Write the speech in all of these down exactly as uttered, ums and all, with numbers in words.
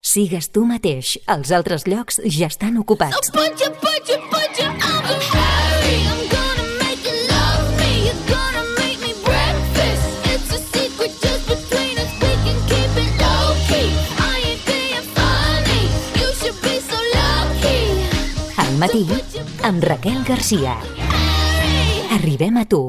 Sigues tu mateix. Els altres llocs ja estan ocupats. Al matí, amb Raquel Garcia. Arribem a tu.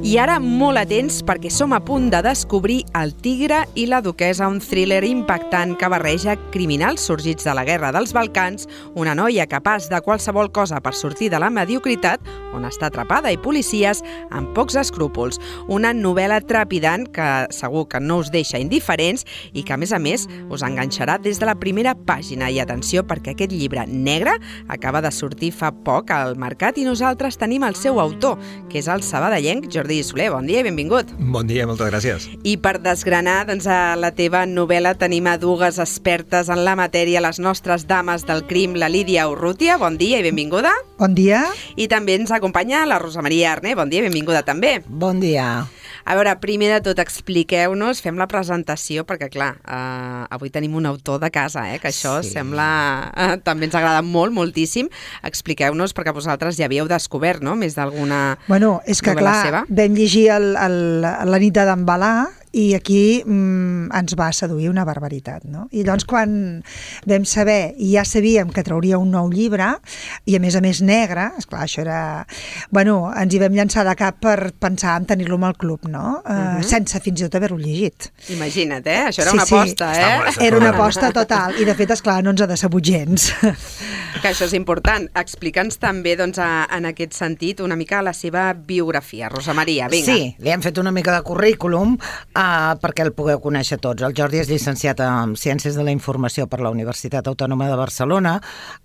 I ara molt atents perquè som a punt de descobrir El tigre i la duquessa, un thriller impactant que barreja criminals sorgits de la guerra dels Balcans, una noia capaç de qualsevol cosa per sortir de la mediocritat, on està atrapada, i policies amb pocs escrúpols. Una novel·la trepidant que segur que no us deixa indiferents i que, a més a més, us enganxarà des de la primera pàgina. I atenció, perquè aquest llibre negre acaba de sortir fa poc al mercat i nosaltres tenim el seu autor, que és el sabadellenc Jordi Soler. Bon dia i benvingut. Bon dia, moltes gràcies. I per desgranar doncs, a la teva novel·la tenim a dues expertes en la matèria, les nostres dames del crim, la Lídia Urrutia. Bon dia i benvinguda. Bon dia. I també ens acompanya la Rosa Maria Arné. Bon dia i benvinguda també. Bon dia. A veure, primer de tot, expliqueu-nos, fem la presentació, perquè, clar, eh, avui tenim un autor de casa, eh, que això sí. sembla... Eh, també ens agrada molt, moltíssim. Expliqueu-nos, perquè vosaltres ja havíeu descobert, no?, més d'alguna Bueno, és que, clar, seva. vam llegir el, el, la nit de d'embalar i aquí mm, ens va seduir una barbaritat, no? I llavors quan vam saber, i ja sabíem que trauria un nou llibre, i a més a més negre, esclar, això era... Bueno, ens hi vam llançar de cap per pensar en tenir-lo amb el club, no? Uh, uh-huh. Sense fins i tot haver-ho llegit. Imagina't, eh? Això era sí, una aposta, sí. eh? Era una aposta total, i de fet, esclar, no ens ha decebut gens. Que això és important. Explica'ns també, doncs, a, en aquest sentit, una mica la seva biografia. Rosa Maria, vinga. Sí, li hem fet una mica de currículum uh, perquè el pugueu conèixer tots. El Jordi és llicenciat en Ciències de la Informació per la Universitat Autònoma de Barcelona,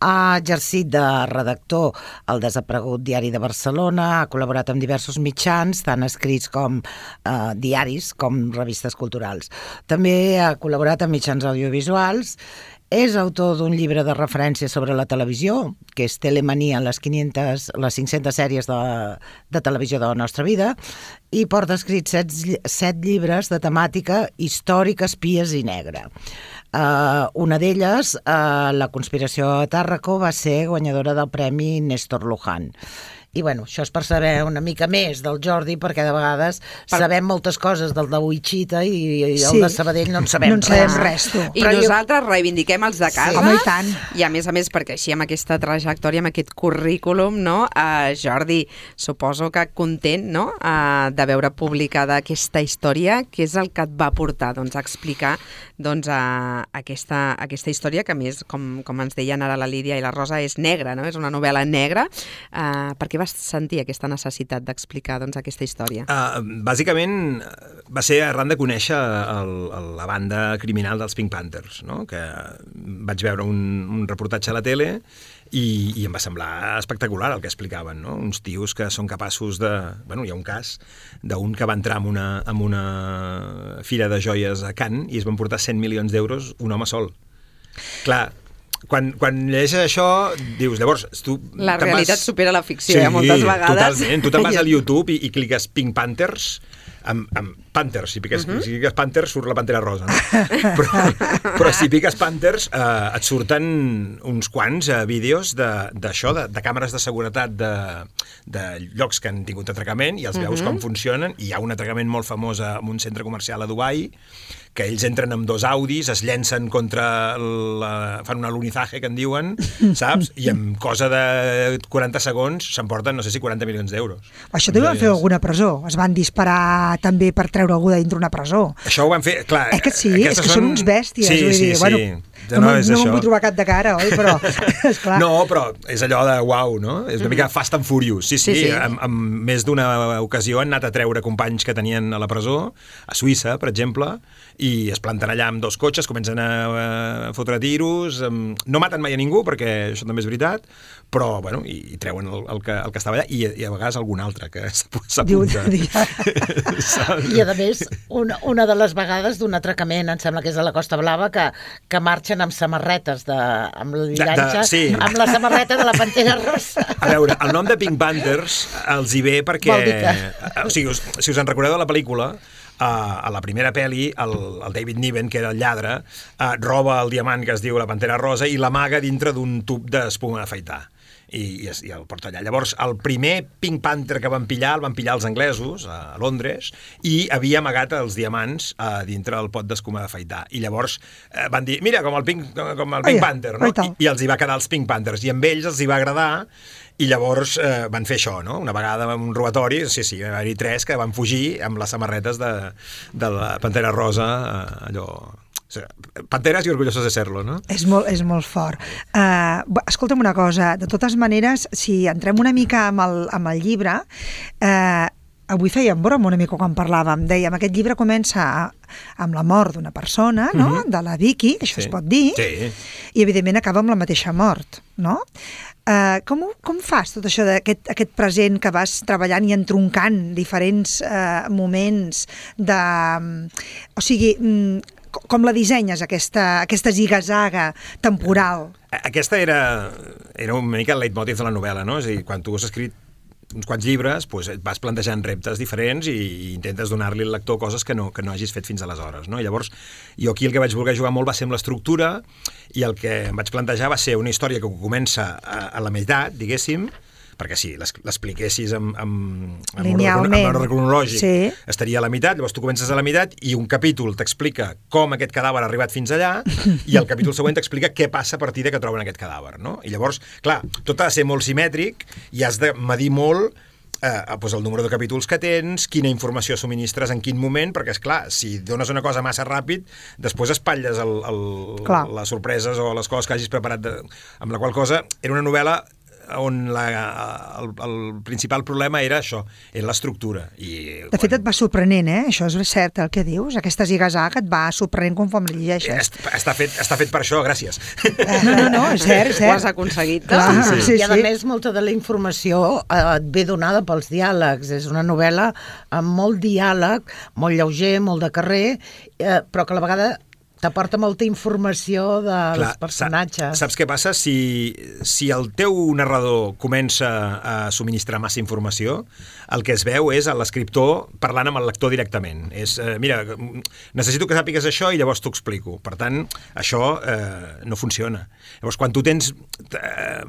ha exercit de redactor al desaparegut Diari de Barcelona, ha col·laborat amb diversos mitjans, tant escrits com uh, diaris, com revistes culturals. També ha col·laborat amb mitjans audiovisuals. És autor d'un llibre de referència sobre la televisió, que és Telemania, les, quinientas, les cinc-centes sèries de, de televisió de la nostra vida, i porta escrits set, set llibres de temàtica històrica, espies i negra. Uh, una d'elles, uh, La conspiració a Tàrraco, va ser guanyadora del Premi Néstor Luján. I bueno, això és per saber una mica més del Jordi, perquè de vegades per... sabem moltes coses del de Wichita i, i el sí. de Sabadell no en sabem no en sabem res. Tu. I Però nosaltres jo... reivindiquem els de casa. Sí. Home, i tant. I a més a més, perquè així amb aquesta trajectòria, amb aquest currículum, no? Uh, Jordi, suposo que content, no?, uh, de veure publicada aquesta història, que és el que et va portar, doncs, a explicar doncs, uh, aquesta, aquesta història, que a més, com, com ens deien ara la Lídia i la Rosa, és negra, no? És una novel·la negra. Uh, per què vas sentir aquesta necessitat d'explicar doncs, aquesta història? Uh, bàsicament va ser arran de conèixer el, el, la banda criminal dels Pink Panthers, no? Que vaig veure un, un reportatge a la tele i, i em va semblar espectacular el que explicaven, no? Uns tios que són capaços de... Bueno, hi ha un cas d'un que va entrar en una, en una fira de joies a Cannes i es van portar cent milions d'euros un home sol. Clar, Quan, quan llegeixes això, dius, llavors... Tu la realitat vas... supera la ficció, sí, eh, moltes vegades. Totalment. Tu te'n vas al YouTube i, i cliques Pink Panthers, amb, amb Panthers, si piques, uh -huh. si piques Panthers surt la Pantera Rosa, no? però, però si piques Panthers eh, et surten uns quants eh, vídeos d'això, de, de, de càmeres de seguretat de, de llocs que han tingut atracament i els uh -huh. veus com funcionen, i hi ha un atracament molt famós en un centre comercial a Dubai, que ells entren amb dos Audis, es llencen contra la... fan un alunizaje, que en diuen, saps? I en cosa de quaranta segons s'emporten, no sé si quaranta milions d'euros. Això també van fer alguna presó. Es van disparar també per treure algú de dintre una presó. Això ho van fer, clar... Eh que sí? És que són, són uns bèsties. Sí, vull sí, dir, sí. Bueno, no, no, és no això. m'ho vull trobar cap de cara, oi? Però, esclar. No, però és allò de uau, no? És una mica Fast and Furious. Sí, sí, sí, sí. En, en més d'una ocasió han anat a treure companys que tenien a la presó, a Suïssa, per exemple, i es planten allà amb dos cotxes, comencen a, a fotre tiros, no maten mai a ningú, perquè això també és veritat, però, bueno, i, i treuen el, el, que, el que estava allà, i, i a vegades algun altre que s'apunta. I, a més, una, una de les vegades d'un atracament, em sembla que és a la Costa Blava, que, que marxen anaven amb samarretes de, amb llanxa, sí. amb la samarreta de la Pantera Rosa. A veure, el nom de Pink Panthers els hi ve perquè... Que... O sigui, us, si us en recordeu de la pel·lícula, Uh, a la primera pel·li, el, el David Niven, que era el lladre, uh, roba el diamant que es diu la Pantera Rosa i l'amaga dintre d'un tub d'espuma d'afaitar. I, i, es, i el porta allà. Llavors, el primer Pink Panther que van pillar, el van pillar els anglesos, a Londres, i havia amagat els diamants uh, dintre el pot d'escuma d'afaitar. I llavors uh, van dir, mira, com el Pink, com el Pink oh, Panther, no? I, I els hi va quedar els Pink Panthers. I amb ells els hi va agradar. I llavors eh, van fer això, no? Una vegada en un robatori, sí, sí, va haver-hi tres que van fugir amb les samarretes de, de la Pantera Rosa, eh, allò... O sigui, panteres i orgullosos de ser-lo, no? És molt, és molt fort. Uh, escolta'm una cosa, de totes maneres, si entrem una mica amb el, amb el llibre, eh, avui fèiem broma una mica quan parlàvem, dèiem, aquest llibre comença amb la mort d'una persona, no? Mm-hmm. De la Vicky, això sí. Es pot dir, sí. I evidentment acaba amb la mateixa mort, no? Uh, com, com fas tot això d'aquest aquest present que vas treballant i entroncant diferents uh, moments de... O sigui, com la dissenyes, aquesta, aquesta ziga-zaga temporal? Aquesta era, era una mica el leitmotiv de la novel·la, no? És a dir, quan tu has escrit uns quants llibres, doncs et vas plantejant reptes diferents i, i intentes donar-li al lector coses que no, que no hagis fet fins aleshores, no? I llavors, jo aquí el que vaig voler jugar molt va ser amb l'estructura i el que em vaig plantejar va ser una història que comença a, a la meitat, diguéssim, perquè si l'expliquessis amb, amb, amb, linealment, amb ordre cronològic, sí. Estaria a la meitat, llavors tu comences a la meitat i un capítol t'explica com aquest cadàver ha arribat fins allà i el capítol següent t'explica què passa a partir de que troben aquest cadàver, no? I llavors, clar, tot ha de ser molt simètric i has de medir molt eh, doncs el número de capítols que tens, quina informació subministres en quin moment, perquè, és clar, si dones una cosa massa ràpid, després espatlles el, el, les sorpreses o les coses que hagis preparat, de, amb la qual cosa era una novel·la on la, el, el principal problema era això, era l'estructura. I de fet, et va sorprenent, eh? Això és cert el que dius, aquesta ziga-zaga et va sorprenent conforme li llegeixes. Està fet, està fet per això, gràcies. No, no, no, és cert, és cert. Ho has aconseguit. Clar, sí, sí. Sí, I a sí. més, molta de la informació eh, et ve donada pels diàlegs. És una novel·la amb molt diàleg, molt lleuger, molt de carrer, eh, però que a la vegada t'aporta molta informació dels Clar, personatges. Saps què passa? Si, si el teu narrador comença a subministrar massa informació, el que es veu és l'escriptor parlant amb el lector directament. És, eh, mira, necessito que sàpigues això i llavors t'ho explico. Per tant, això eh, no funciona. Llavors, quan tu tens... Eh,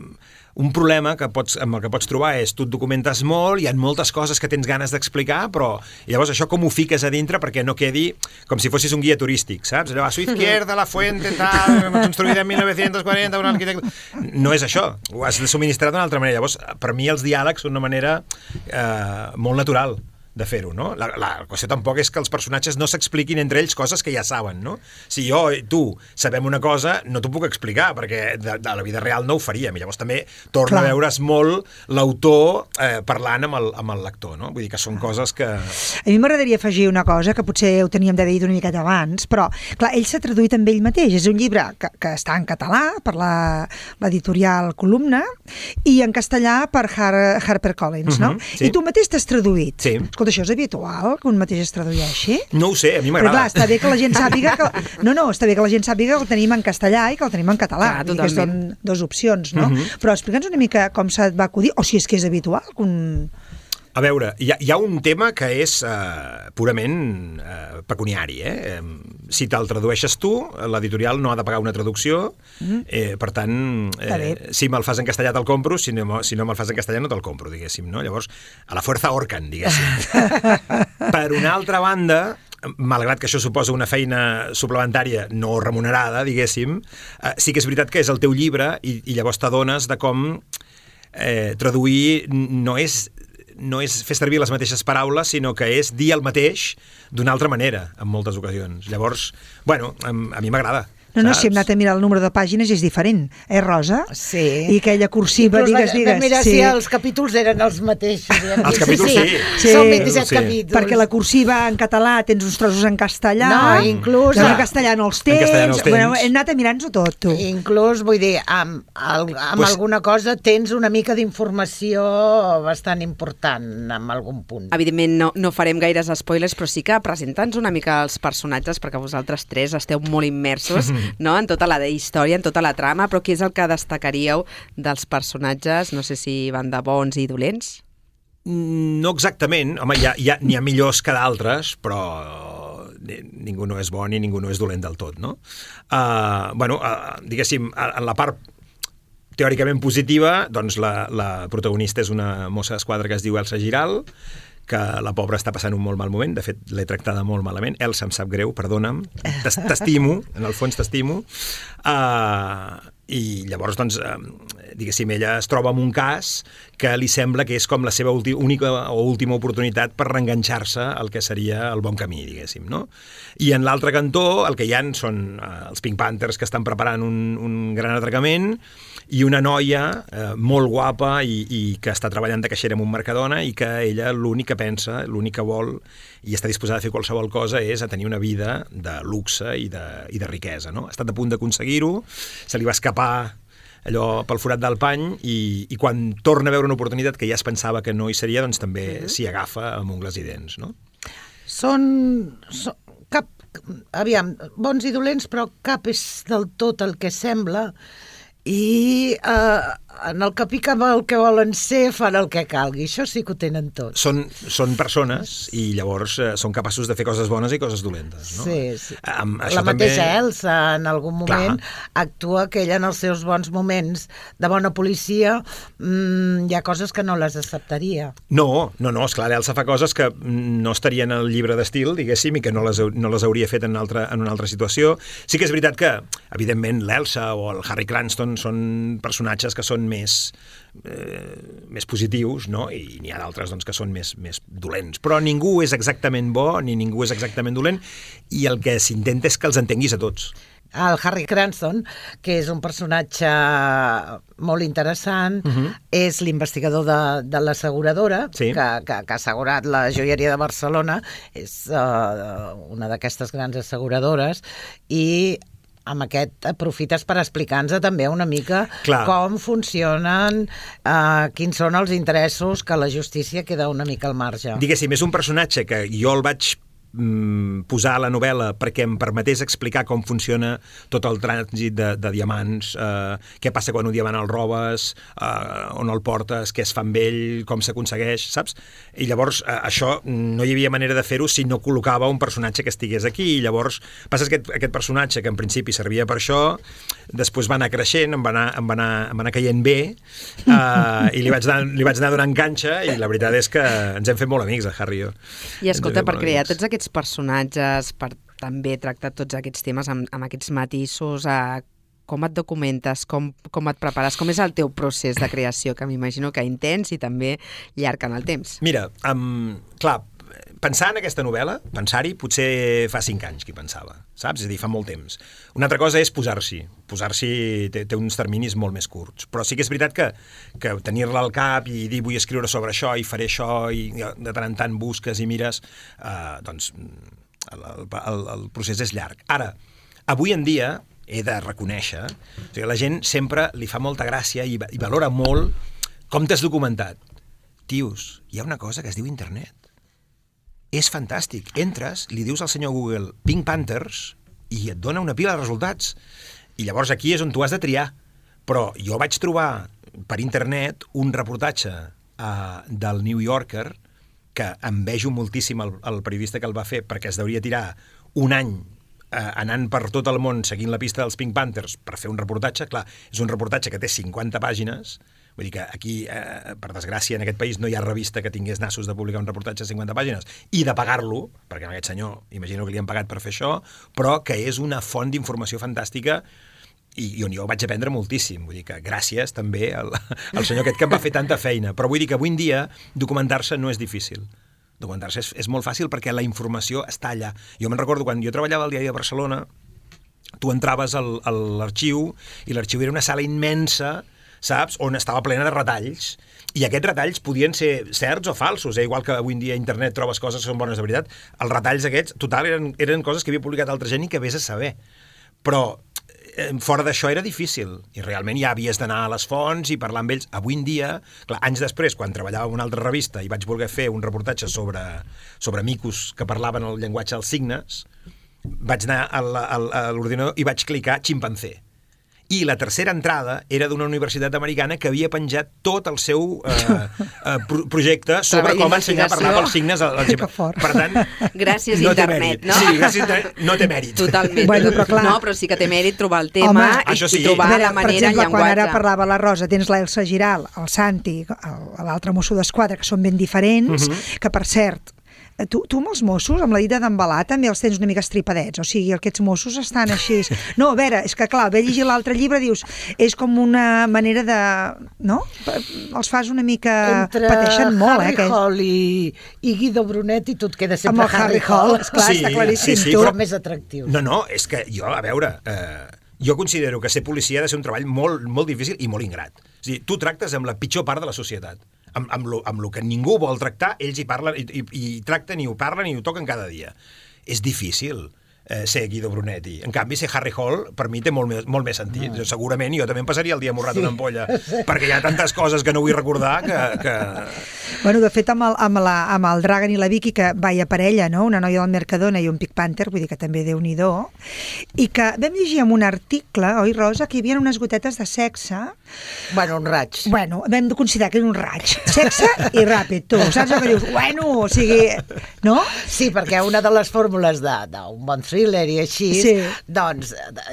un problema que pots, amb el que pots trobar és tu et documentes molt, hi ha moltes coses que tens ganes d'explicar, però llavors això com ho fiques a dintre perquè no quedi com si fossis un guia turístic, saps? Allò, a su izquierda, la fuente, tal, construïda en mil nou-cents quaranta, un arquitecte... No és això, ho has de subministrar d'una altra manera. Llavors, per mi els diàlegs són una manera eh, molt natural de fer-ho, no? La, la qüestió tampoc és que els personatges no s'expliquin entre ells coses que ja saben, no? Si jo i tu sabem una cosa, no t'ho puc explicar, perquè de, de la vida real no ho faríem, i llavors també torna Clar. a veure's molt l'autor eh, parlant amb el, amb el lector, no? Vull dir que són coses que... A mi m'agradaria afegir una cosa, que potser ho teníem de dir una miqueta abans, però, clar, ell s'ha traduït amb ell mateix, és un llibre que, que està en català, per l'editorial Columna, i en castellà per Har Harper Collins, no? Uh-huh, sí. I tu mateix t'has traduït. Sí. Escolta, això és habitual, que un mateix es tradueixi? No ho sé, a mi m'agrada. Però clar, està bé que la gent sàpiga que... No, no, està bé que la gent sàpiga que el tenim en castellà i que el tenim en català. Clar, que són dues opcions, no? Uh-huh. Però explica'ns una mica com se't va acudir, o si és que és habitual. Un... A veure, hi ha, hi ha un tema que és eh, purament eh, pecuniari, eh? Si te'l tradueixes tu, l'editorial no ha de pagar una traducció, eh, per tant, eh, si me'l fas en castellà te'l compro, si no, si no me'l fas en castellà no te'l compro, diguéssim, no? Llavors, a la fuerza ahorcan, diguéssim. Per una altra banda, malgrat que això suposa una feina suplementària no remunerada, diguéssim, eh, sí que és veritat que és el teu llibre i, i llavors t'adones de com eh, traduir no és no és fer servir les mateixes paraules, sinó que és dir el mateix d'una altra manera, en moltes ocasions. Llavors, bueno, a, a mi m'agrada. No, no, si hem anat a mirar el número de pàgines és diferent, eh, Rosa? Sí. I aquella cursiva, inclús digues, digues. Vam mirar sí. si els capítols eren els mateixos. Els capítols sí. sí. sí. Són vint-i-set sí. capítols. Perquè la cursiva en català tens uns trossos en castellà. No, inclús... En castellà no els tens. En castellà no els tens. Bueno, hem anat a mirar-nos-ho tot, tu. Inclús, vull dir, amb, amb pues... alguna cosa tens una mica d'informació bastant important en algun punt. Evidentment no, no farem gaires spoilers, però sí que presenta'ns una mica els personatges, perquè vosaltres tres esteu molt immersos mm. no? En tota la història, en tota la trama, però què és el que destacaríeu dels personatges? No sé si van de bons i dolents. No exactament. Home, hi ha, hi ha, n'hi ha millors que d'altres, però ningú no és bo ni ningú no és dolent del tot, no? Uh, bueno, uh, diguéssim, en la part teòricament positiva, doncs la, la protagonista és una mossa d'esquadra que es diu Elsa Giral, que la pobra està passant un molt mal moment, de fet l'he tractada molt malament. Elsa, em sap greu, perdona'm, t'estimo, en el fons t'estimo. Uh, I llavors, doncs, uh, diguéssim, ella es troba en un cas que li sembla que és com la seva única o última oportunitat per reenganxar-se al que seria el bon camí, diguéssim, no? I en l'altre cantó el que hi ha són uh, els Pink Panthers que estan preparant un, un gran atracament i una noia eh, molt guapa i, i que està treballant de caixera en un Mercadona i que ella l'únic que pensa, l'únic que vol i està disposada a fer qualsevol cosa és a tenir una vida de luxe i de, i de riquesa, no? Ha estat a punt d'aconseguir-ho, se li va escapar allò pel forat del pany i, i quan torna a veure una oportunitat que ja es pensava que no hi seria, doncs també uh-huh. s'hi agafa amb ungles i dents, no? Són, són cap, aviam, bons i dolents, però cap és del tot el que sembla i eh, en el que pica amb el que volen ser fan el que calgui, això sí que ho tenen tot. Són, són persones i llavors eh, són capaços de fer coses bones i coses dolentes, no? Sí, sí. Um, la mateixa també... Elsa en algun moment Clar. actua que ella en els seus bons moments de bona policia mmm, hi ha coses que no les acceptaria. No, no, no, esclar, Elsa fa coses que no estarien al llibre d'estil, diguéssim, i que no les, no les hauria fet en, altra, en una altra situació. Sí que és veritat que, evidentment, l'Elsa o el Harry Cranston són personatges que són més, eh, més positius, no? I n'hi ha d'altres doncs, que són més, més dolents. Però ningú és exactament bo ni ningú és exactament dolent i el que s'intenta és que els entenguis a tots. El Harry Cranston, que és un personatge molt interessant, uh-huh. és l'investigador de, de l'asseguradora sí. que, que, que ha assegurat la joieria de Barcelona, és uh, una d'aquestes grans asseguradores, i amb aquest aprofites per explicar-nos també una mica Clar. com funcionen, eh, quins són els interessos, que la justícia queda una mica al marge. Diguéssim, és un personatge que jo el vaig mm, posar a la novel·la perquè em permetés explicar com funciona tot el trànsit de, de diamants, eh, què passa quan un diamant el robes, eh, on el portes, què es fa amb ell, com s'aconsegueix, saps? I llavors eh, això no hi havia manera de fer-ho si no col·locava un personatge que estigués aquí, i llavors passa que aquest, aquest personatge que en principi servia per això, després va anar creixent, em va anar, em va anar, em va anar caient bé, eh, i li vaig, anar, li vaig anar donant canxa, i la veritat és que ens hem fet molt amics, el Harry i jo. I escolta, per crear tots aquests personatges, per també tractar tots aquests temes amb, amb aquests matisos, a com et documentes, com, com et prepares, com és el teu procés de creació, que m'imagino que intens i també llarg en el temps. Mira, um, clar, pensar en aquesta novel·la, pensar-hi, potser fa cinc anys que hi pensava, saps? És a dir, fa molt temps. Una altra cosa és posar-s'hi. Posar-s'hi té, té uns terminis molt més curts. Però sí que és veritat que, que tenir-la al cap i dir vull escriure sobre això i faré això i de tant en tant busques i mires, eh, doncs el, el, el procés és llarg. Ara, avui en dia he de reconèixer, o sigui, la gent sempre li fa molta gràcia i, i valora molt com t'has documentat. Tios, hi ha una cosa que es diu internet. És fantàstic. Entres, li dius al senyor Google Pink Panthers i et dona una pila de resultats. I llavors aquí és on tu has de triar. Però jo vaig trobar per internet un reportatge uh, del New Yorker que envejo moltíssim el, el periodista que el va fer perquè es deuria tirar un any uh, anant per tot el món seguint la pista dels Pink Panthers per fer un reportatge. Clar, és un reportatge que té cinquanta pàgines. Vull dir que aquí, eh, per desgràcia, en aquest país no hi ha revista que tingués nassos de publicar un reportatge de cinquanta pàgines i de pagar-lo, perquè a aquest senyor imagino que li han pagat per fer això, però que és una font d'informació fantàstica i, i on jo vaig aprendre moltíssim. Vull dir que gràcies també al, al senyor aquest que em va fer tanta feina. Però vull dir que avui en dia documentar-se no és difícil. Documentar-se és, és molt fàcil perquè la informació està allà. Jo me'n recordo quan jo treballava al Diari de Barcelona, tu entraves al, a l'arxiu i l'arxiu era una sala immensa, saps? On estava plena de retalls, i aquests retalls podien ser certs o falsos, eh? Igual que avui en dia a internet trobes coses que són bones de veritat, els retalls aquests, total, eren, eren coses que havia publicat altra gent i que vés a saber. Però eh, fora d'això era difícil, i realment ja havies d'anar a les fonts i parlar amb ells. Avui en dia, clar, anys després, quan treballava en una altra revista i vaig voler fer un reportatge sobre, sobre micos que parlaven el llenguatge dels signes, vaig anar a l'ordinador i vaig clicar ximpanzé. I la tercera entrada era d'una universitat americana que havia penjat tot el seu eh, eh, projecte sobre com ensenyar a parlar pels signes al ximpanzé. Per tant, gràcies no internet, no? Sí, gràcies internet, no té mèrit. Totalment. Bueno, però clar. No, però sí que té mèrit trobar el tema Home, i, això sí. i trobar veure, la manera, per exemple, el quan llenguatge. ara parlava la Rosa, tens l'Elsa Giral, el Santi, l'altre mosso d'esquadra, que són ben diferents, uh -huh. que per cert, Tu, tu amb els Mossos, amb la dita d'embalar, també els tens una mica estripadets, o sigui, aquests Mossos estan així... No, a veure, és que clar, ve llegir l'altre llibre, dius, és com una manera de... No? Els fas una mica... Entre pateixen molt, Harry eh? Aquest... Hall i, i Guido Brunetti, tu et quedes sempre amb el Harry Hall, esclar, Sí, està claríssim. sí, sí, tu. però- Són més atractius. No, no, és que jo, a veure, eh, jo considero que ser policia ha de ser un treball molt, molt difícil i molt ingrat. És a dir, tu tractes amb la pitjor part de la societat. Amb, amb, lo, amb lo que ningú vol tractar, ells hi parlen, i, i, i tracten i ho parlen i ho toquen cada dia. És difícil eh, ser Guido Brunetti. En canvi, ser Harry Hall, per mi té molt més, molt més sentit. No. Segurament jo també em passaria el dia morrat sí. una ampolla, perquè hi ha tantes coses que no vull recordar que... que... Bueno, de fet, amb el, amb, la, amb el Dragan i la Vicky, que vaia parella, no? Una noia del Mercadona i un Pink Panther, vull dir que també Déu-n'hi-do, i que vam llegir en un article, oi, Rosa, que hi havia unes gotetes de sexe. Bueno, un raig. Bueno, vam de considerar que era un raig. Sexe i ràpid, tu. Saps el que dius? Bueno, o sigui... No? Sí, perquè una de les fórmules d'un bon thriller i així, Sí. doncs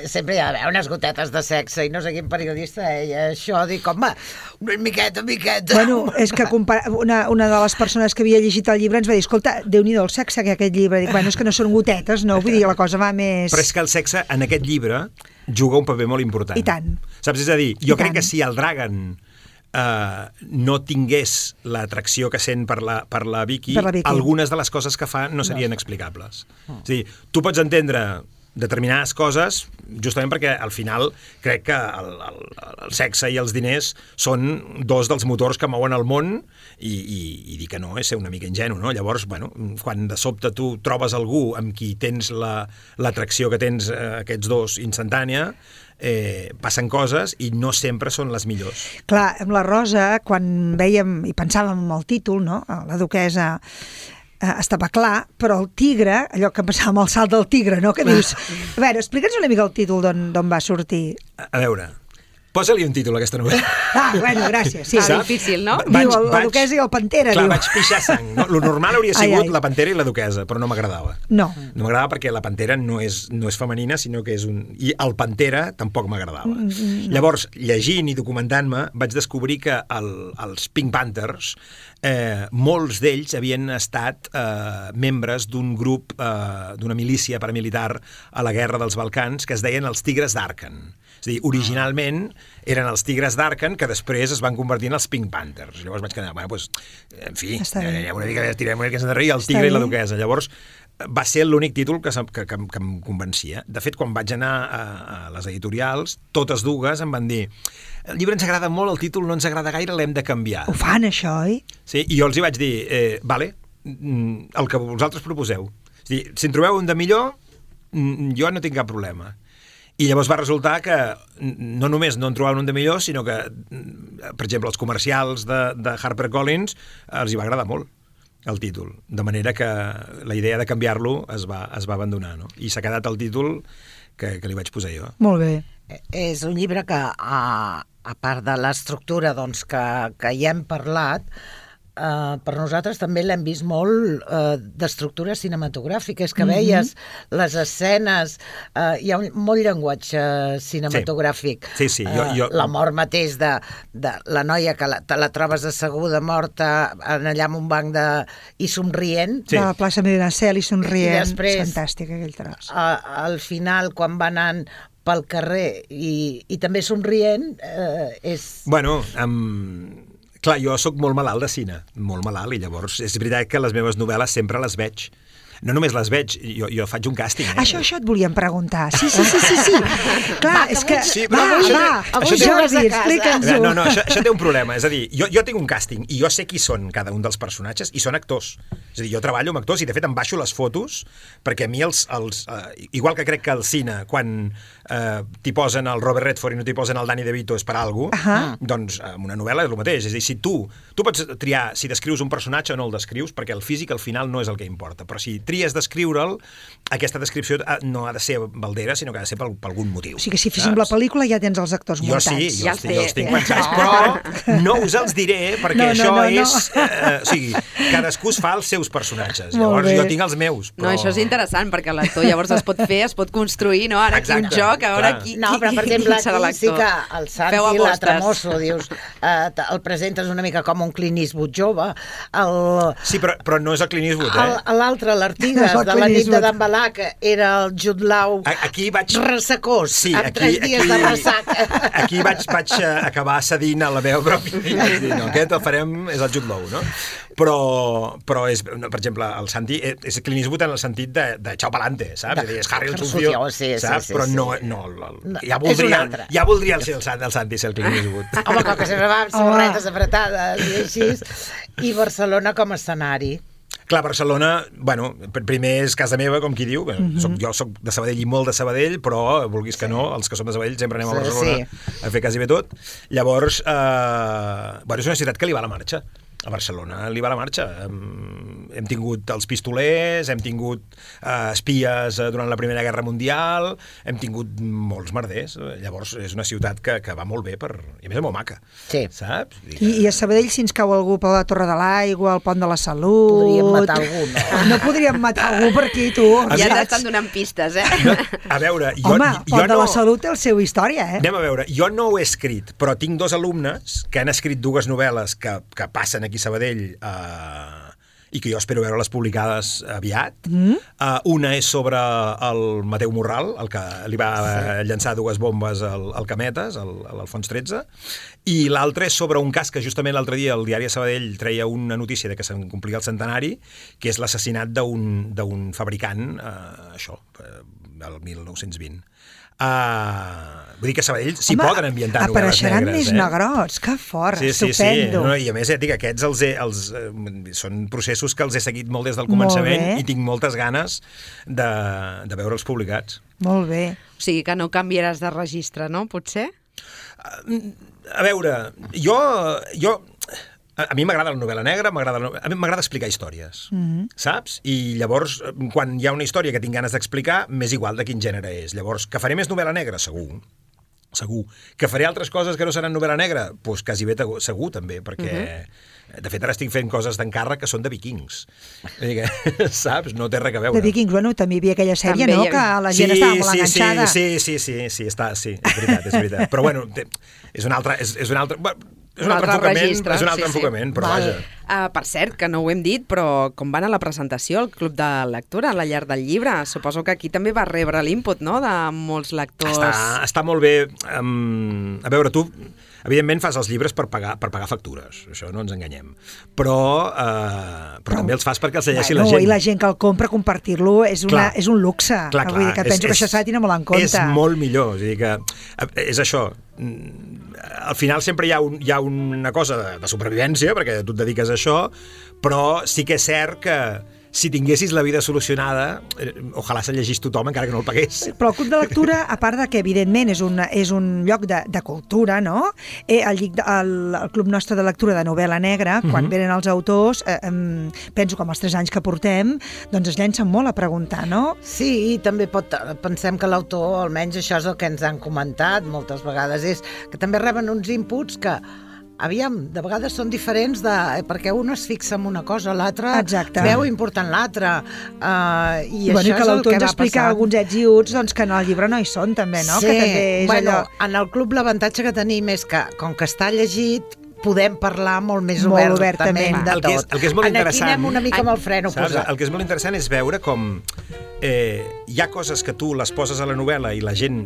sempre hi ha d'haver unes gotetes de sexe i no sé quin periodista deia això, dic, home, una miqueta, miqueta. Bueno, és que compara... una, una de les persones que havia llegit el llibre ens va dir, escolta, Déu-n'hi-do el sexe que aquest llibre. Dic, bueno, és que no són gotetes, no? Vull dir, la cosa va més... Però és que el sexe, en aquest llibre, juga un paper molt important. I tant. Saps? És a dir, jo I crec tant. que si el Dragan eh, no tingués l'atracció que sent per la, per la Vicky, Per la Vicky. algunes de les coses que fa no serien explicables. És a dir, tu pots entendre determinades coses justament perquè al final crec que el, el, el sexe i els diners són dos dels motors que mouen el món i, i, i dir que no és ser una mica ingenu, no? Llavors, bueno, quan de sobte tu trobes algú amb qui tens la, l'atracció que tens eh, aquests dos instantània, eh, passen coses i no sempre són les millors. Clar, amb la Rosa, quan vèiem i pensàvem en el títol, no? La duquessa eh, estava clar, però el tigre, allò que passava amb el salt del tigre, no? Que dius... A veure, explica'ns una mica el títol d'on va sortir. A, a veure, posa-li un títol a aquesta novel·la. Ah, bueno, gràcies. Sí, Ah, sí. difícil, no? Vaig- Diu, el, la vaig- duquessa i el pantera, Clar, diu. vaig pixar sang. No? Lo normal hauria Ai, sigut ai. la pantera i la duquessa, però no m'agradava. No. No m'agradava perquè la pantera no és, no és femenina, sinó que és un... I el pantera tampoc m'agradava. Mm, mm, Llavors, llegint i documentant-me, vaig descobrir que el, els Pink Panthers, eh, molts d'ells havien estat eh, membres d'un grup, eh, d'una milícia paramilitar a la guerra dels Balcans, que es deien els Tigres d'Arken. És a dir, originalment eren els Tigres d'Arken que després es van convertir en els Pink Panthers. Llavors vaig quedar, bueno, doncs, en fi, eh, una mica tirem una mica enrere i el Està tigre bé. i la duquessa. Llavors va ser l'únic títol que, que, que, que em convencia. De fet, quan vaig anar a, a les editorials, totes dues em van dir el llibre ens agrada molt, el títol no ens agrada gaire, l'hem de canviar. Ho fan, això, oi? Sí, i jo els hi vaig dir, eh, vale, mm, el que vosaltres proposeu. És a dir, si en trobeu un de millor, mm, jo no tinc cap problema. I llavors va resultar que no només no en trobaven un de millor, sinó que, per exemple, els comercials de, de HarperCollins els hi va agradar molt el títol, de manera que la idea de canviar-lo es va, es va abandonar, no? I s'ha quedat el títol que, que li vaig posar jo. Molt bé. És un llibre que, a, a part de l'estructura doncs, que, que hi hem parlat, Uh, per nosaltres també l'hem vist molt uh, d'estructura cinematogràfica. És que Mm-hmm. veies les escenes, uh, hi ha un, molt llenguatge cinematogràfic. Sí, sí, jo- jo- Uh, la mort mateix de, de la noia que la, te la trobes asseguda, morta, en allà en un banc de... i somrient. Sí. De la plaça Medinaceli somrient. I després- Fantàstic, aquell tros. Uh, al final, quan va anant pel carrer i, i també somrient, uh, és... Bueno, um, clar, jo sóc molt malalt de cine, molt malalt, i llavors és veritat que les meves novel·les sempre les veig. No només les veig, jo, jo faig un càsting. Eh? Això, això et volíem preguntar. Sí, sí, sí, sí, sí. Clar, és que... Sí, va, però això té- va, això té- Jordi, explica'ns-ho. No, no, això, això té un problema. És a dir, jo, jo tinc un càsting i jo sé qui són cada un dels personatges i són actors. És És a dir, jo treballo amb actors i, de fet, em baixo les fotos perquè a mi els... els uh, igual que crec que al cine, quan uh, t'hi posen el Robert Redford i no t'hi posen el Danny DeVito és per alguna cosa, uh-huh. doncs amb una novel·la és el mateix. És a dir, si tu, tu pots triar si descrius un personatge o no el descrius, perquè el físic al final no és el que importa. Però si tries descriure'l, aquesta descripció no ha de ser baldera, sinó que ha de ser per, per algun motiu. O sigui que si féssim la pel·lícula ja tens els actors jo muntats. Sí, jo, ja els, jo els tinc pensats, però no us els diré perquè no, no, això no, no. és... Eh, o sigui, cadascú es fa els seus personatges. Molt llavors bé. jo tinc els meus. Però... No, això és interessant, perquè l'actor llavors es pot fer, es pot construir, no? Ara aquí un joc, a veure qui, no, però per exemple, serà aquí sí l'actor. que el Santi, l'altre mosso, dius, eh, el presentes una mica com un Clint Eastwood jove. El... Sí, però, però no és el Clint Eastwood, eh? L'altre, l'Artigas, no de la nit de Dambalà, que era el Jude Law aquí vaig... ressecós, sí, amb aquí, tres dies aquí, de ressac. Aquí vaig, vaig acabar cedint a la meva pròpia... No, aquest el farem, és el Jude Law, no? Però, però és, per exemple, el Santi és Clint Eastwood en el sentit de, de xau palante, saps? De, és Harry el Sucio, sí, saps? Sí, sí, però sí. no, no, el, no, ja voldria, ja voldria ser el, el Santi ser el Clint Eastwood. Home, com que sempre va amb samarretes apretades i així. I Barcelona com a escenari. Clar, Barcelona, bueno, primer és casa meva, com qui diu, mm-hmm. soc, jo soc de Sabadell i molt de Sabadell, però vulguis que no, els que som de Sabadell sempre anem a Barcelona sí. a fer quasi bé tot. Llavors, eh, bueno, és una ciutat que li va a la marxa. A Barcelona li va la marxa. Hem, hem tingut els pistolers, hem tingut uh, espies uh, durant la Primera Guerra Mundial, hem tingut molts merders. Llavors és una ciutat que, que va molt bé per... i a més és molt maca, sí. saps? I, I a Sabadell, si ens cau algú per la Torre de l'Aigua, al Pont de la Salut... Podríem matar algú, no? No podríem matar algú per aquí, tu. Ja t'estan donant pistes, eh? No, a veure, jo, Home, jo Pont no... de la Salut té la seva història, eh? Anem a veure, jo no ho he escrit, però tinc dos alumnes que han escrit dues novel·les que, que passen aquí a Sabadell eh, i que jo espero veure-les publicades aviat. Mm. Uh, una és sobre el Mateu Morral, el que li va sí. llançar dues bombes al, al Cametes, al, a l'Alfons tretze, i l'altra és sobre un cas que justament l'altre dia el diari de Sabadell treia una notícia de que se'n complia el centenari, que és l'assassinat d'un, d'un fabricant, uh, això, el mil nou-cents vint. Uh, vull dir que a Sabadell s'hi poden ambientar novel·les negres. Apareixeran més eh? negrots, que fort, sí, sí, estupendo. Sí. No, i a més, ja dic, aquests els he, els, eh, són processos que els he seguit molt des del començament i tinc moltes ganes de, de veure'ls publicats. Molt bé. O sigui que no canviaràs de registre, no? Potser? Uh, a veure, jo... jo a mi m'agrada la novel·la negra, m'agrada a mi m'agrada explicar històries, mm-hmm. saps? I llavors, quan hi ha una història que tinc ganes d'explicar, m'és igual de quin gènere és. Llavors, que faré més novel·la negra? Segur. Segur. Que faré altres coses que no seran novel·la negra? Doncs pues quasi bé segur, també, perquè... Mm-hmm. De fet, ara estic fent coses d'encàrrec que són de vikings. Saps? No té res a veure. De vikings, bueno, també hi havia aquella sèrie, també no?, havia... que la gent sí, estava molt sí, enganxada. Sí, sí, sí, sí, sí, està, sí, és veritat, és veritat. Però bueno, és un altre... És, és un altre... És un, un altre, altre enfocament, registre, és un altre sí, enfocament, sí. però Val. vaja. Uh, per cert, que no ho hem dit, però com van a la presentació al Club de Lectura, a la llar del llibre? Suposo que aquí també va rebre l'input, no?, de molts lectors. Està, està molt bé. Um, a veure, tu, evidentment, fas els llibres per pagar, per pagar factures, això no ens enganyem. Però, uh, però, però també els fas perquè els llegeixi bueno, la gent. I la gent que el compra, compartir-lo, és, una, és un luxe. Clar, clar, Vull dir que és, penso és, que això s'ha de tenir molt en compte. És molt millor. És, dir que, és això. Al final sempre hi ha, un, hi ha una cosa de, de supervivència, perquè tu et dediques a això, però sí que és cert que si tinguessis la vida solucionada, eh, ojalà se llegís tothom encara que no el pagués. Però el Club de Lectura, a part de que evidentment és un, és un lloc de, de cultura, no? Eh, el, el, el Club nostre de lectura de novel·la negra, uh-huh. quan venen els autors, eh, eh, penso que amb els tres anys que portem, doncs es llencen molt a preguntar, no? Sí, i també pot, pensem que l'autor, almenys això és el que ens han comentat moltes vegades, és que també reben uns inputs que aviam, de vegades són diferents de, perquè un es fixa en una cosa, l'altre veu important l'altre, uh, i bueno, això que és el que va explica passant. alguns ets i uts doncs, que en el llibre no hi són també, no? Sí, que també és bueno, allò... en el club l'avantatge que tenim és que, com que està llegit, podem parlar molt més molt obertament de el que és, tot. el que és molt en interessant, aquí anem una mica amb el freno saps? posat. El que és molt interessant és veure com eh, hi ha coses que tu les poses a la novel·la i la gent,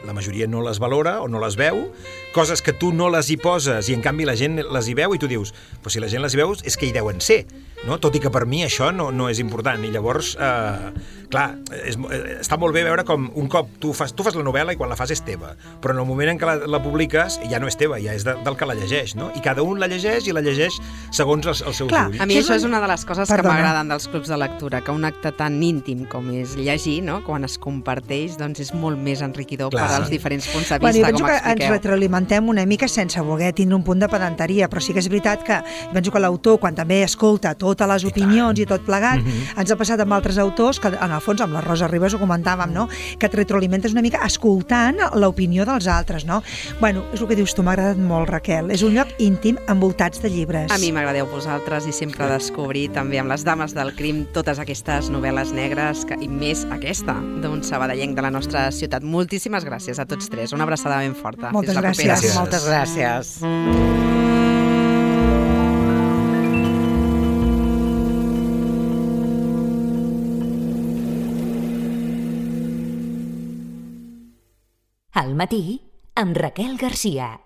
la majoria no les valora o no les veu, coses que tu no les hi poses i en canvi la gent les hi veu i tu dius, però si la gent les hi veu és que hi deuen ser, no? Tot i que per mi això no, no és important. I llavors, eh, clar, és, està molt bé veure com un cop tu fas, tu fas la novel·la i quan la fas és teva, però en el moment en què la, la publiques ja no és teva, ja és de, del que la llegeix, no? I cada un la llegeix i la llegeix segons els, els seus Clar, ulls. a mi això és una de les coses Perdona. que m'agraden dels clubs de lectura, que un acte tan íntim com és llegir, no? Quan es comparteix, doncs és molt més enriquidor Clar. per als diferents punts de vista, bueno, com expliqueu. Ens retroalimentem una mica sense voler tindre un punt de pedanteria, però sí que és veritat que penso que l'autor, quan també escolta totes les opinions i, i tot plegat, mm-hmm. ens ha passat amb altres autors, que en el fons amb la Rosa Ribas ho comentàvem, no? Que et retroalimentes una mica escoltant l'opinió dels altres, no? Bueno, és el que dius tu, m'ha agradat molt, Raquel. És un lloc íntim envoltats de llibres. A mi m'agradeu vosaltres i sempre descobrir també amb les dames del crim totes aquestes novel·les negres que, i més aquesta d'un sabadellenc de la nostra ciutat. Moltíssimes gràcies a tots tres. Una abraçada ben forta. Moltes Fins la gràcies. propera. Moltes gràcies. Al matí, amb Raquel Garcia.